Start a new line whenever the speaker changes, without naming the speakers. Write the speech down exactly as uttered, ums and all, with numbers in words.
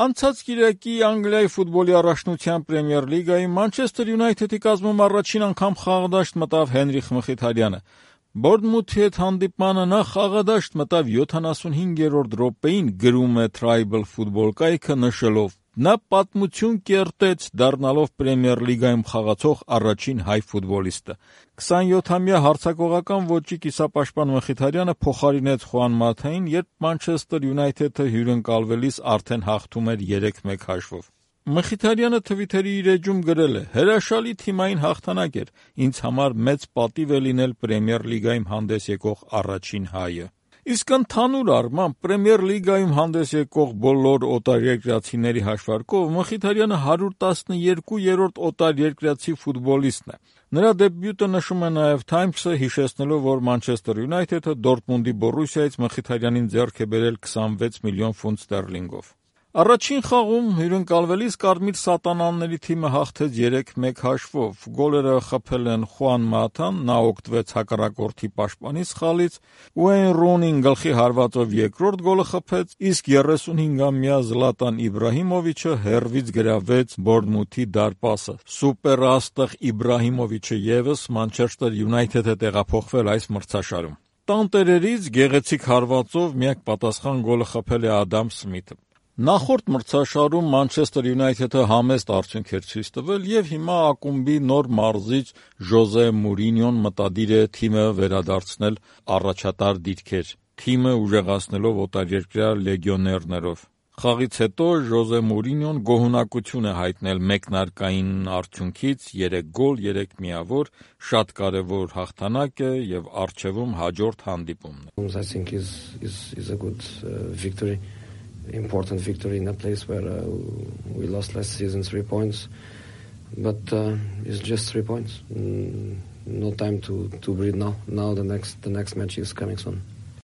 Անցած կիրակի Անգլիայի ֆուտբոլի առաջնության Պրեմիեր լիգայի Մանչեսթեր Յունայթեդի կազմում առաջին անգամ խաղադաշտ մտավ Հենրիխ Մխիթարյանը։ Բորդմութի հետ հանդիպմանը նա խաղադաշտ մտավ յոթանասունհինգերորդ րոպեին, գրում է Tribal Football կայքը նշելով. նա պատմություն կերտեց, դառնալով Պրեմիեր լիգայում խաղացող առաջին հայ ֆուտբոլիստը։ քսանյոթամյա հարձակողական ոճի կիսապաշտպան Մխիթարյանը փոխարինեց Խուան Մաթային, երբ Մանչեսթեր Յունայթեդը հյուրընկալվելիս արդեն հաղթում էր երեք մեկ հաշվով։ Մխիթարյանը Թվիթերի իր էջում գրել է. «Հրաշալի թիմային հաղթանակ էր, ինձ համար մեծ պատիվ է լինել Պրեմիեր լիգայում հանդես եկող առաջին հայը»։ Իսկ ընդհանուր առմամբ Պրեմիեր լիգայում հանդես եկող բոլոր օտարերկրացիների հաշվարկով Մխիթարյանը հարյուր տասներկուերորդ օտարերկրացի ֆուտբոլիստն է։ Նրա դեբյուտը նշում է նաև Times-ը, հիշեցնելով, որ Մանչեսթեր Յունայթեդը Դորտմունդի Բորուսիայից Մխիթարյանին ձեռք է բերել քսանվեց միլիոն ֆունտ ստերլինգով։ Առաջին խաղում հյուրընկալվելիս Կարմիր սատանաների թիմը հաղթեց երեք մեկ հաշվով։ Գոլերը խփել են Խուան Մաթան, նա օգտվեց հակառակորդի պաշտպանի սխալից, Ուեյն Ռունին գլխի հարվածով երկրորդ գոլը խփեց, իսկ երեսունհինգամյա Զլատան Իբրահիմովիչը հեռվից գրավեց Բորդմութի դարպասը։ Սուպեր աստղ Իբրահիմովիչը ևս Մանչեսթեր Յունայթեդ է տեղափոխվել այս մրցաշարում։ Տանտերերից գեղեցիկ հարվածով միակ պատասխան գոլը խփել է Ադամ Սմիթը։ Նախորդ մրցաշարում Մանչեսթեր Յունայթեդը համեստ արդյունք էր ցույց տվել եւ հիմա ակումբի նոր մարզիչ Ժոզե Մուրինյոն մտադիր է թիմը վերադարձնել առաջատար դիրքեր, թիմը ուժեղացնելով օտարերկրյա լեգիոներներով։ Խաղից հետո Ժոզե Մուրինյոն գոհունակություն է հայտնել մեկնարկային արդյունքից՝ երեք գոլ, երեք միավոր, շատ կարևոր հաղթանակ է եւ առջեվում հաջորդ հանդիպումն է։
Important victory in a place where uh, we lost last season three points, but uh, it's just three points. Mm, no time to to breathe now. Now the next the next match is coming soon.